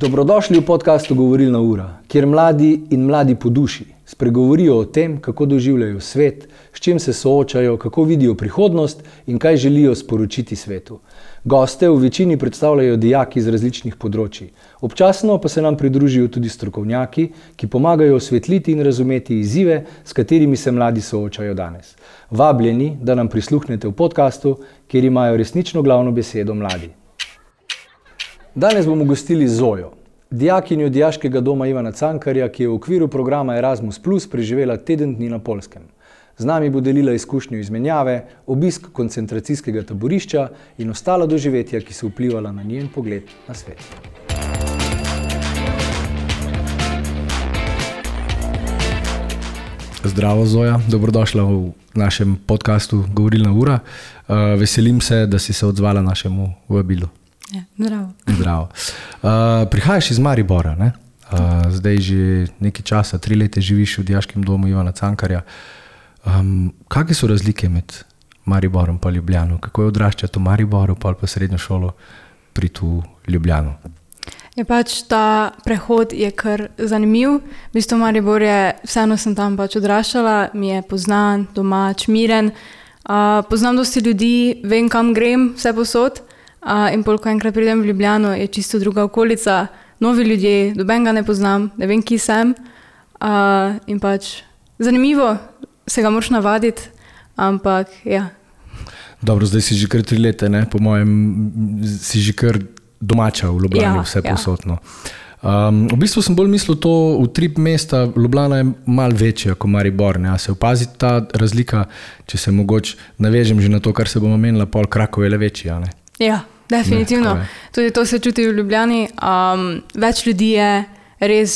Dobrodošli v podcastu Govorilna ura, kjer mladi in mladi po duši spregovorijo o tem, kako doživljajo svet, s čim se soočajo, kako vidijo prihodnost in kaj želijo sporočiti svetu. Goste v večini predstavljajo dijaki iz različnih področij. Občasno pa se nam pridružijo tudi strokovnjaki, ki pomagajo osvetliti in razumeti izzive, s katerimi se mladi soočajo danes. Vabljeni, da nam prisluhnete v podcastu, kjer imajo resnično glavno besedo mladi. Danes bomo gostili Zojo, dijakinjo Dijaškega doma Ivana Cankarja, ki je v okviru programa Erasmus Plus preživela teden dni na Poljskem. Z nami bo delila izkušnjo izmenjave, obisk koncentracijskega taborišča in ostala doživetja, ki so vplivala na njen pogled na svet. Zdravo Zoja, dobrodošla v našem podcastu Govorilna ura. Veselim se, da si se odzvala našemu vabilu. Ja, zdravo. Zdravo. Prihajaš iz Maribora, ne? Zdaj že nekaj časa, 3 leta živiš v Dijaškem domu Ivana Cankarja. Kakve so razlike med Mariborom pa Ljubljano? Kako je odraščati v Mariboru pa srednjo šolo priti v Ljubljano? Je pač ta prehod je kar zanimiv. V bistvu Maribor je, vseeno sem tam pač odraščala, mi je poznan, domač, miren. Poznam dosti ljudi, vem kam grem, vse posod. In ko enkrat pridem v Ljubljano, je čisto druga okolica, novi ljudje, nobenega ne poznam, ne vem, ki sem. In pač zanimivo, se ga moraš navaditi, ampak ja. Dobro, zdaj si že kar 3 leta, ne? Po mojem si že kar domača v Ljubljani, ja, vse posodno. V bistvu sem bolj mislil to, utrip mesta, Ljubljana je malo večja kot Maribor, ne? A se opazi ta razlika, če se mogoče navežem že na to, kar se bomo menila, pol Krakov je le večji, a ne? Ja, definitivno. Tudi to se čuti v Ljubljani. Več ljudi je, res,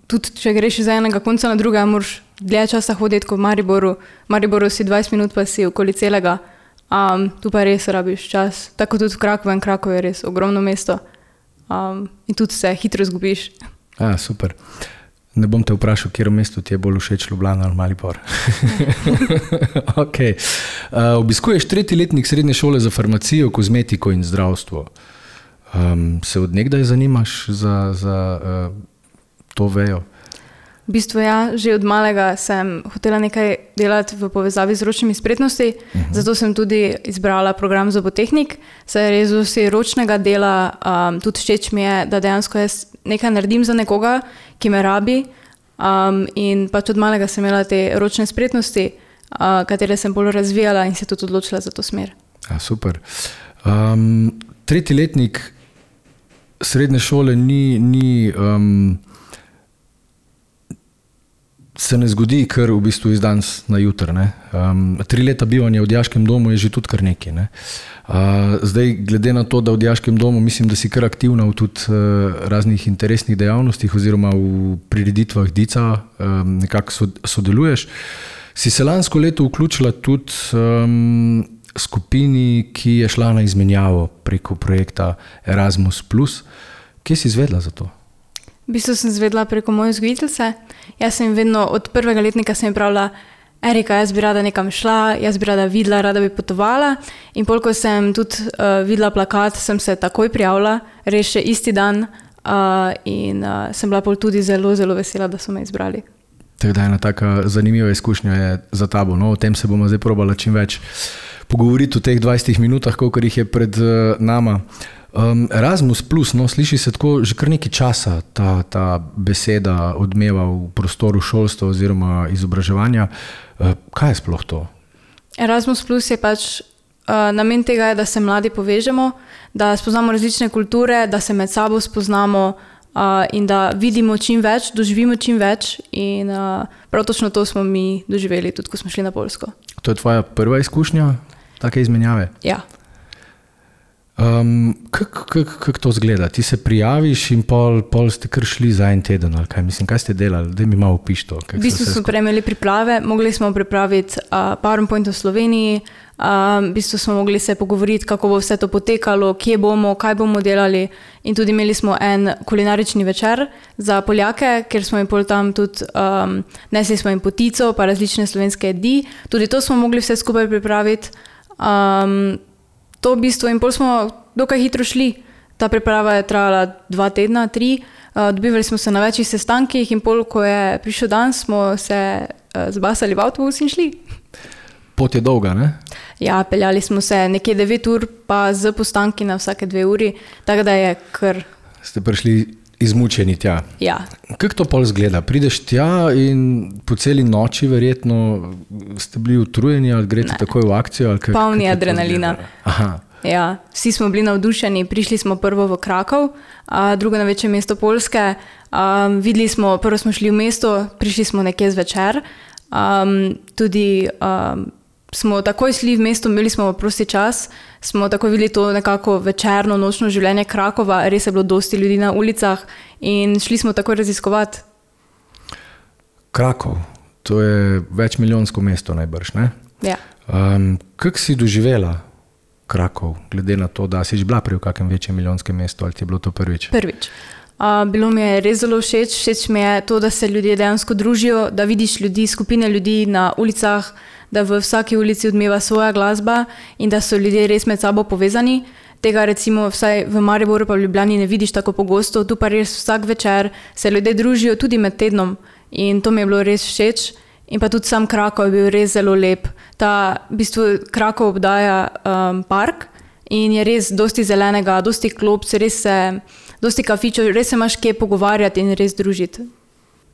tudi če greš iz enega konca na druga, moraš dlje časa hoditi kot v Mariboru. V Mariboru si 20 minut, pa si okoli celega. Tu pa res rabiš čas. Tako tudi v Krakovem. Krakov je res ogromno mesto. In tudi se hitro izgubiš. Super. Ne bom te vprašal, kjer mesto ti je bolj všeč, Ljubljana ali Maribor. Okay. Obiskuješ 3. letnik srednje šole za farmacijo, kozmetiko in zdravstvo. Se od nekdaj zanimaš za to vejo? V bistvu ja, že od malega sem hotela nekaj delati v povezavi z ročnimi spretnosti, zato sem tudi izbrala program zobotehnik. Saj res vsi ročnega dela, tudi všeč mi je, da dejansko jaz nekaj naredim za nekoga, ki me rabi, in pač od malega sem imela te ročne spretnosti, katere sem bolj razvijala in se tudi odločila za to smer. Super. 3. letnik srednje šole ni se ne zgodi kar v bistvu iz danes na jutr, ne? 3 leta bivanja v Dijaškem domu je že tudi kar nekaj, ne? Zdaj, glede na to, da v Dijaškem domu mislim, da si kar aktivna v tudi raznih interesnih dejavnostih oziroma v prireditvah Dica, nekako sodeluješ. Si se lansko leto vključila tudi skupini, ki je šla na izmenjavo preko projekta Erasmus Plus. Kje si izvedla za to? V bistvu sem izvedla preko moje vzgojiteljice. Jaz sem vedno od 1. letnika sem pravila, Erika, jaz bi rada nekam šla, jaz bi rada videla, rada bi potovala. In ko sem tudi videla plakat, sem se takoj prijavila, res še isti dan, in sem bila tudi zelo, zelo vesela, da so me izbrali. Tako da ena taka zanimiva izkušnja je za tabo. No, o tem se bomo zdaj probala čim več pogovoriti v teh 20 minutah, kolikor jih je pred nama. Erasmus Plus, no, sliši se tako že kar nekaj časa ta beseda odmeva v prostoru šolstva oziroma izobraževanja. Kaj je sploh to? Erasmus Plus je pač namen tega, da se mladi povežemo, da spoznamo različne kulture, da se med sabo spoznamo in da vidimo čim več, doživimo čim več, in prav točno to smo mi doživeli tudi, ko smo šli na Poljsko. To je tvoja prva izkušnja take izmenjave? Ja. Kako to zgleda? Ti se prijaviš in pol ste kar šli za en teden, ali kaj? Mislim, kaj ste delali? Daj mi malo opiš to. V bistvu smo prejmeli priprave, mogli smo pripraviti PowerPoint v Sloveniji, v bistvu smo mogli se pogovoriti, kako bo vse to potekalo, kje bomo, kaj bomo delali, in tudi imeli smo en kulinarični večer za Poljake, ker smo jim pol tam tudi nesli smo jim potico pa različne slovenske jedi, tudi to smo mogli vse skupaj pripraviti. To v bistvu, in pol smo dokaj hitro šli. Ta priprava je trajala 2 tedna, 3. Dobivali smo se na večjih sestankih in pol, ko je prišel dan, smo se zbasali v avtobus in šli. Pot je dolga, ne? Ja, peljali smo se nekje 9 ur, pa z postanki na vsake 2 uri, tako da je kar... Ste prišli izmučeni tja. Ja. Kako to pol izgleda? Prideš tja in po celi noči verjetno ste bili utrujeni ali greste takoj v akcijo? Ali polni adrenalina. Aha. Ja, vsi smo bili navdušeni, prišli smo prvo v Krakov, drugo največje mesto Poljske. Videli smo, prvo smo šli v mesto, prišli smo nekje zvečer. Tudi smo takoj šli v mesto, imeli smo prosti čas, smo takoj videli to nekako večerno, nočno življenje Krakova, res je bilo dosti ljudi na ulicah in šli smo takoj raziskovati. Krakov, to je večmilijonsko mesto najbrž, ne? Ja. Kako si doživela Krakov, glede na to, da si že bila prej v kakem večjem milijonskem mestu, ali ti je bilo to prvič? Prvič. Bilo mi je res zelo všeč. Všeč mi je to, da se ljudje dejansko družijo, da vidiš ljudi, skupine ljudi na ulicah, da v vsaki ulici odmeva svoja glasba in da so ljudje res med sabo povezani. Tega recimo vsaj v Mariboru pa v Ljubljani ne vidiš tako pogosto, tu pa res vsak večer se ljudje družijo tudi med tednom in to mi je bilo res všeč. In pa tudi sam Krakov je bil res zelo lep. V bistvu Krakov obdaja park in je res dosti zelenega, dosti klopc, res se, dosti kafičev, res se imaš kje pogovarjati in res družiti.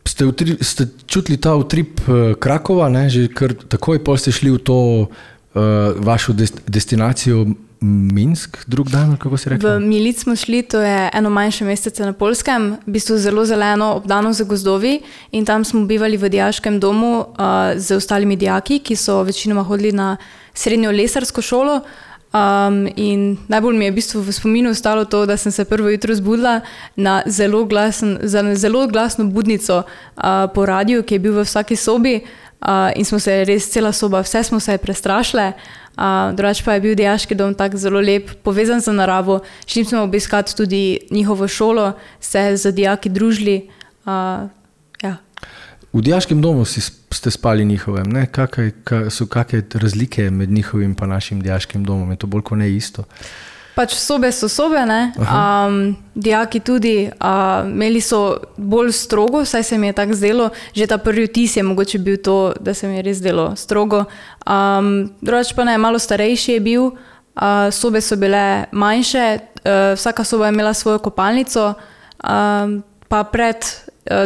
Ste čutili ta utrip Krakova, ne? Že kar takoj pol ste šli v to vašo destinacijo Minsk, drug dan, kako si rekla? V Milic smo šli, to je eno manjše mestece na Poljskem, v bistvu zelo zeleno, obdano z gozdovi in tam smo bivali v dijaškem domu z ostalimi dijaki, ki so večinoma hodili na srednjo lesarsko šolo. In najbolj mi je v bistvu v spominu ostalo to, da sem se prvo jutro zbudila na zelo glasno budnico po radiju, ki je bil v vsaki sobi in smo se res cela soba, vse smo se prestrašile. Drugače pa je bil dijaški dom tak zelo lep, povezan z naravo. Šli smo obiskati tudi njihovo šolo, se z dijaki družili. Ja. V dijaškem domu ste spali njihovem, ne? So kakšne razlike med njihovim pa našim dijaškim domom? Je to bolj kot ne isto? Pač sobe so sobe, ne? Dijaki tudi, imeli so bolj strogo, saj se mi je tako zdelo, že ta prvi vtis je mogoče bil to, da se mi je res zdelo strogo. Drugače pa ne, malo starejši je bil, sobe so bile manjše, vsaka soba je imela svojo kopalnico, pa pred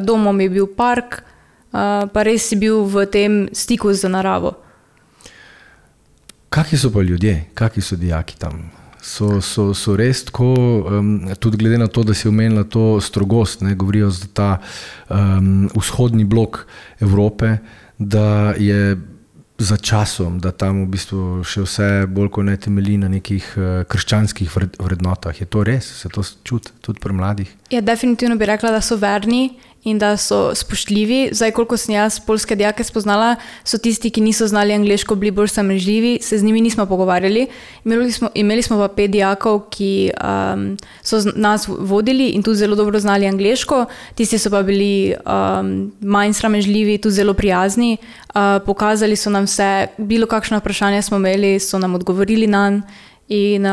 domom je bil park, pa res si bil v tem stiku z naravo. Kakšni so pa ljudje, kakšni so dijaki tam? So res tako, tudi glede na to, da si omenila to strogost, ne, govorijo za ta vzhodni blok Evrope, da je za časom, da tam v bistvu še vse bolj kot ne temelji na nekih krščanskih vrednotah. Je to res? Se to čuti tudi pri mladih? Ja, definitivno bi rekla, da so verni in da so spoštljivi. Zdaj, koliko sem jaz poljske dijake spoznala, so tisti, ki niso znali angleško, bili bolj sramežljivi, se z njimi nismo pogovarjali. Imeli smo pa 5 dijakov, ki so nas vodili in tudi zelo dobro znali angleško. Tisti so pa bili manj sramežljivi, tudi zelo prijazni. Pokazali so nam vse, bilo kakšno vprašanje smo imeli, so nam odgovorili nanj in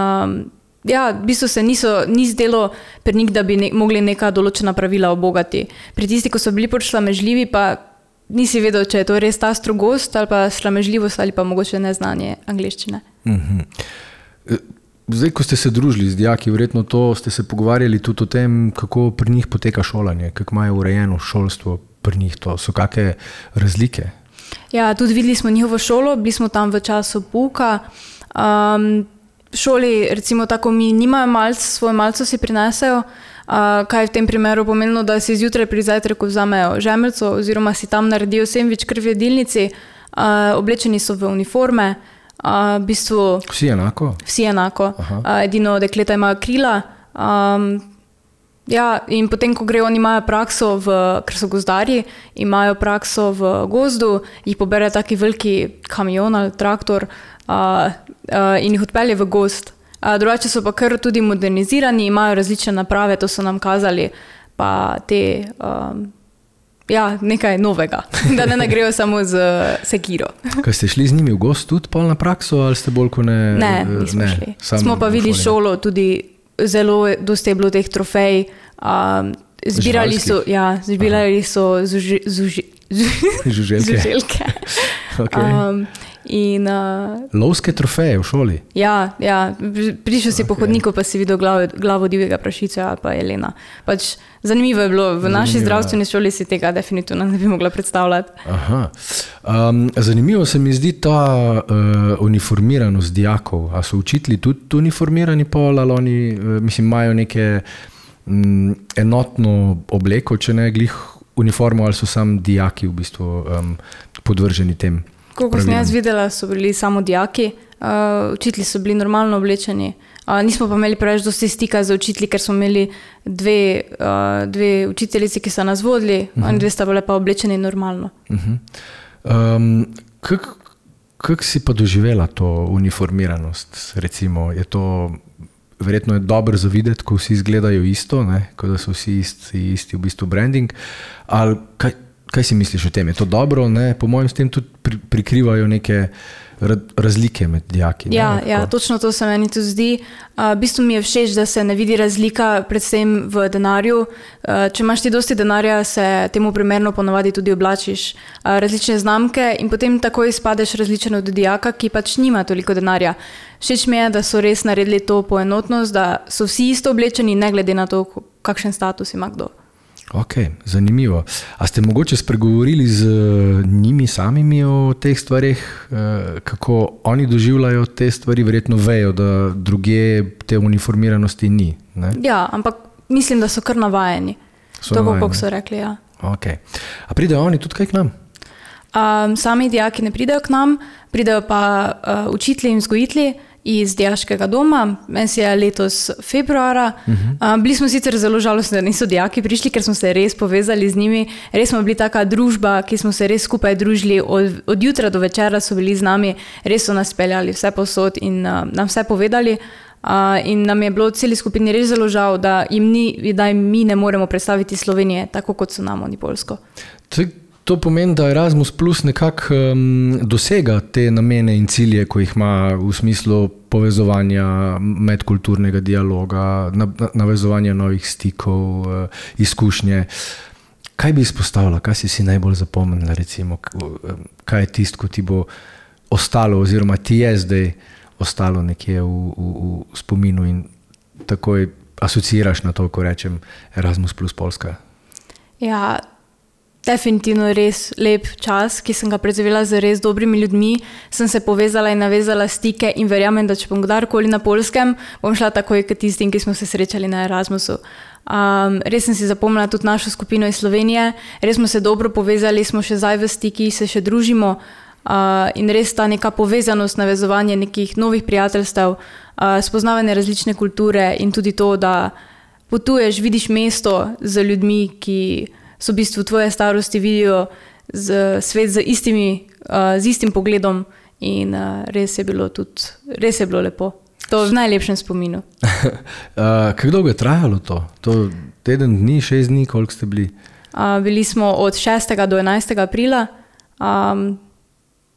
ja, v bistvu se ni zdelo pri njih, da bi mogli neka določena pravila obogati. Pri tisti, ko so bili bolj sramežljivi, pa nisi vedel, če je to res ta strogost ali pa sramežljivost ali pa mogoče neznanje angleščine. Zdaj, ko ste se družili z dijaki, verjetno ste se pogovarjali tudi o tem, kako pri njih poteka šolanje, kako imajo urejeno šolstvo pri njih, to so kakšne razlike? Ja, tudi videli smo njihovo šolo, bili smo tam v času pouka. Šoli, recimo tako mi nimajo malc, svoj malco si prinesejo, kaj je v tem primeru pomenilo, da si zjutraj pri zajtrku vzamejo žemelco oziroma si tam naredijo sendvič kar v jedilnici, oblečeni so v uniforme. V bistvu, vsi enako? Vsi enako. Edino dekleta imajo krila. Ja, in potem, ko grejo, oni imajo prakso, ker so gozdarji, imajo prakso v gozdu, jih pobere taki veliki kamion ali traktor in jih odpelje v gozd. Drugače so pa kar tudi modernizirani, imajo različne naprave, to so nam kazali, pa te, nekaj novega, da ne grejo samo z sekiro. Kaj ste šli z njimi v gozd tudi pol na prakso ali ste bolj kot ne? Ne, nismo šli. Smo pa videli šolo tudi zelo dosti je bilo teh trofej. Zbirali so žuželke. Okay. Lovske trofeje v šoli? Ja, prišel si po hodniku, pa si videl glavo divjega prašiča ali pa jelena. Pač zanimivo je bilo, v naši zdravstveni šoli si tega definitivno ne bi mogla predstavljati. Aha. Zanimivo se mi zdi ta uniformiranost dijakov. A so učitelji tudi uniformirani pol, ali oni, imajo neke enotno obleko, če ne glih uniformo, ali so sam dijaki v bistvu podvrženi tem? Koliko sem jaz videla, so bili samo dijaki, učitelji so bili normalno oblečeni. Nismo pa imeli preveč dosti stika z učitelji, ker smo imeli dve učiteljici, ki so nas vodili, oni dve sta bile pa oblečeni normalno. Kako si pa doživela to uniformiranost? Recimo, je to verjetno je dobro za videti, ko vsi izgledajo isto, ne? Ko da so vsi isti v bistvu branding, ali kaj si misliš o tem? Je to dobro? Ne? Po mojem s tem tudi prikrivajo neke razlike med dijaki. Ja, točno to se meni tudi zdi. V bistvu mi je všeč, da se ne vidi razlika predvsem v denarju. Če imaš ti dosti denarja, se temu primerno ponovadi tudi oblačiš različne znamke in potem takoj izpadeš različen od dijaka, ki pač nima toliko denarja. Všeč mi je, da so res naredili to poenotnost, da so vsi isto oblečeni, ne glede na to, kakšen status ima kdo. Ok, zanimivo. A ste mogoče spregovorili z njimi samimi o teh stvarih, kako oni doživljajo te stvari, verjetno vejo, da drugje te uniformiranosti ni, ne? Ja, ampak mislim, da so kar navajeni. Tako, kako so rekli, ja. Ok. A pridejo oni tudi kaj k nam? Sami dijaki ne pridejo k nam, pridejo pa učitelji in vzgojitelji iz dijaškega doma. Meni se je letos februara. Bili smo sicer zelo žalostni, da niso dijaki prišli, ker smo se res povezali z njimi. Res smo bili taka družba, ki smo se res skupaj družili. Od jutra do večera so bili z nami, res so nas peljali vse povsod in nam vse povedali. In nam je bilo celi skupini res zelo žal, da mi ne moremo predstaviti Slovenije, tako kot so nam oni Poljsko. To pomeni, da Erasmus Plus nekako dosega te namene in cilje, ko jih ima v smislu povezovanja medkulturnega dialoga, navezovanja novih stikov, izkušnje. Kaj bi izpostavila? Kaj si najbolj zapomnila, recimo? Kaj je tisto, ko ti bo ostalo, oziroma ti je zdaj ostalo nekje v spominu in takoj asociiraš na to, ko rečem Erasmus Plus Poljska? Ja, definitivno res lep čas, ki sem ga preživela z res dobrimi ljudmi. Sem se povezala in navezala stike in verjamem, da če bom kdarkoli na Poljskem, bom šla takoj k tistim, ki smo se srečali na Erasmusu. Res sem si zapomnila tudi našo skupino iz Slovenije, res smo se dobro povezali, smo še zdaj v stiki, se še družimo in res ta neka povezanost, navezovanje nekih novih prijateljstev, spoznavanje različne kulture in tudi to, da potuješ, vidiš mesto z ljudmi, ki so v bistvu tvoje starosti, vidijo svet z istim pogledom in res je bilo lepo. To v najlepšem spominu. Kako dolgo je trajalo to? To teden dni, 6 dni, koliko ste bili? Bili smo od 6. do 11. aprila.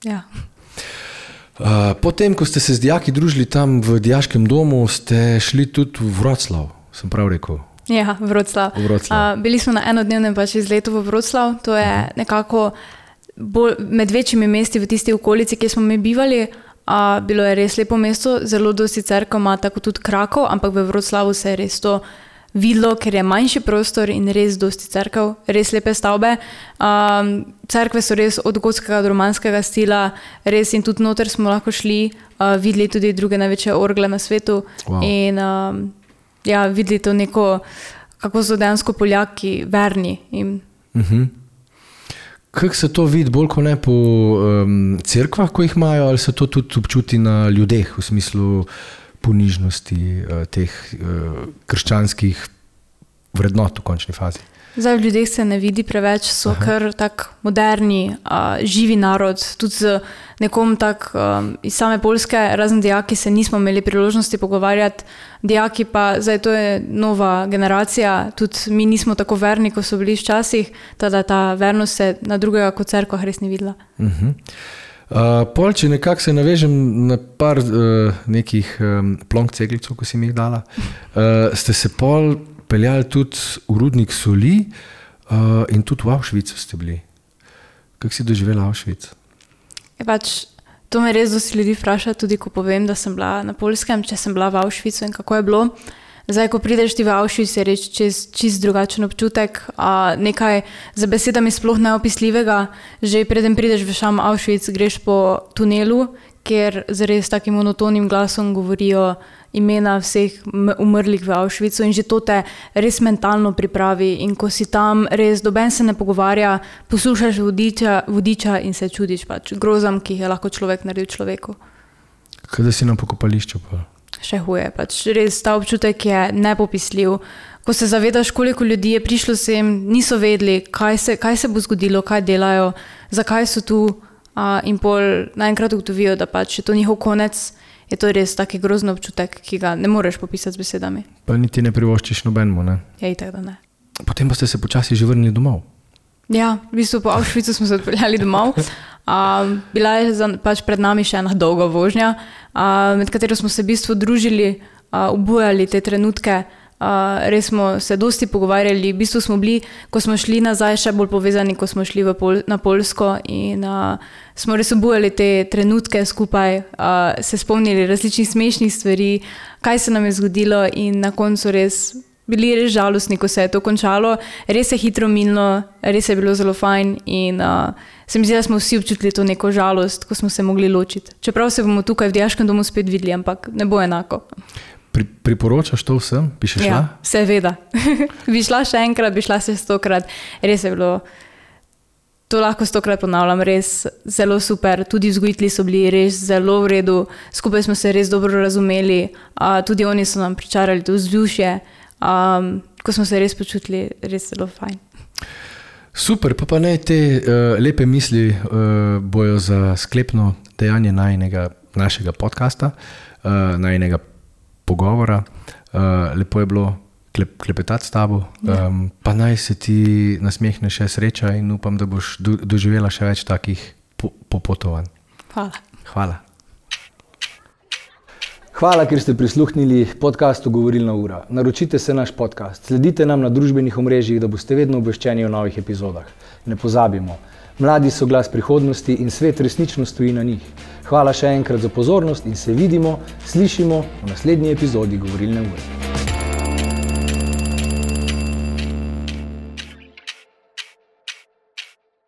Ja. Potem, ko ste se z dijaki družili tam v dijaškem domu, ste šli tudi v Wroclaw, sem prav rekel. Ja, Wroclaw. Bili smo na enodnevnem izletu v Wroclaw. To je nekako med večjimi mesti v tisti okolici, kjer smo mi bivali. Bilo je res lepo mesto, zelo dosti cerkev ima, tako tudi Krakov, ampak v Wroclawu se je res to videlo, ker je manjši prostor in res dosti cerkev, res lepe stavbe. Cerkve so res od gotskega do romanskega stila, res in tudi noter smo lahko šli, videli tudi druge največje orgle na svetu. Wow. In videli to neko, kako so dejansko Poljaki verni. Kako se to vidi bolj kot ne po cerkvah, ko jih imajo, ali se to tudi občuti na ljudeh, v smislu ponižnosti teh krščanskih vrednot v končni fazi? Zdaj v ljudeh se ne vidi preveč, so kar tak moderni, živi narod, tudi z nekom tak iz same Poljske, razen dijaki se nismo imeli priložnosti pogovarjati, dijaki pa, zdaj to je nova generacija, tudi mi nismo tako verni, ko so bili včasih, tada ta vernost se na drugega kot cerkvah res ni videla. Pol, če nekako se navežem na par nekih plonk ceglicov, ko si mi jih dala, ste se pol peljali tudi v rudnik soli in tudi v Auschwitzu ste bili. Kako si doživela Auschwitz? To me res dosti ljudi vpraša, tudi ko povem, da sem bila na Poljskem, če sem bila v Auschwitzu in kako je bilo. Zdaj, ko prideš ti v Auschwitz, je reč čist drugačen občutek, nekaj za besedami sploh neopisljivega. Že preden prideš v sam Auschwitz, greš po tunelu, kjer z res takim monotonim glasom govorijo imena vseh umrlih v Auschwitzu in že to te res mentalno pripravi. In ko si tam, res doben se ne pogovarja, poslušaš vodiča in se čudiš grozam, ki jih je lahko človek naredil človeku. Kaj da si na pokopališču pa? Še huje, res ta občutek je nepopisljiv. Ko se zavedaš, koliko ljudi je prišlo sem, niso vedeli, kaj se bo zgodilo, kaj delajo, zakaj so tu in pol naenkrat ugotovijo, da je to njihov konec, je to res taki grozen občutek, ki ga ne moreš popisati z besedami. Pa niti ne privoščiš nobenemu, ne? Ja, itak da ne. Potem pa ste se počasi že vrnili domov. Ja, v bistvu po Auschwitzu smo se odpeljali domov. Bila je pred nami še ena dolga vožnja, med katero smo se v bistvu družili, obujali te trenutke, res smo se dosti pogovarjali, v bistvu smo bili, ko smo šli nazaj, še bolj povezani, ko smo šli na Poljsko in smo res obujali te trenutke skupaj, se spomnili različnih smešnih stvari, kaj se nam je zgodilo in na koncu res bili res žalostni, ko se je to končalo. Res je hitro minilo, res je bilo zelo fajn in se mi zdi, da smo vsi občutili to neko žalost, ko smo se mogli ločiti. Čeprav se bomo tukaj v dijaškem domu spet videli, ampak ne bo enako. Priporočaš to vsem? Bi še šla? Ja, seveda. Bi šla še enkrat, bi šla še 100-krat. Res je bilo, to lahko 100-krat ponavljam, res zelo super. Tudi vzgojitelji so bili res zelo v redu, skupaj smo se res dobro razumeli, tudi oni so nam pričarali to vzdušje. Ko smo se res počutili, res zelo fajn. Super, pa ne te lepe misli bojo za sklepno dejanje našega podcasta, najnega pogovora. Lepo je bilo klepetati s tabo, pa naj se ti nasmehne še sreča in upam, da boš doživela še več takih popotovanj. Hvala. Hvala, ker ste prisluhnili podcastu Govorilna ura. Naročite se naš podcast, sledite nam na družbenih omrežjih, da boste vedno obveščeni o novih epizodah. Ne pozabimo, mladi so glas prihodnosti in svet resnično stoji na njih. Hvala še enkrat za pozornost in se vidimo, slišimo v naslednji epizodi Govorilne ure.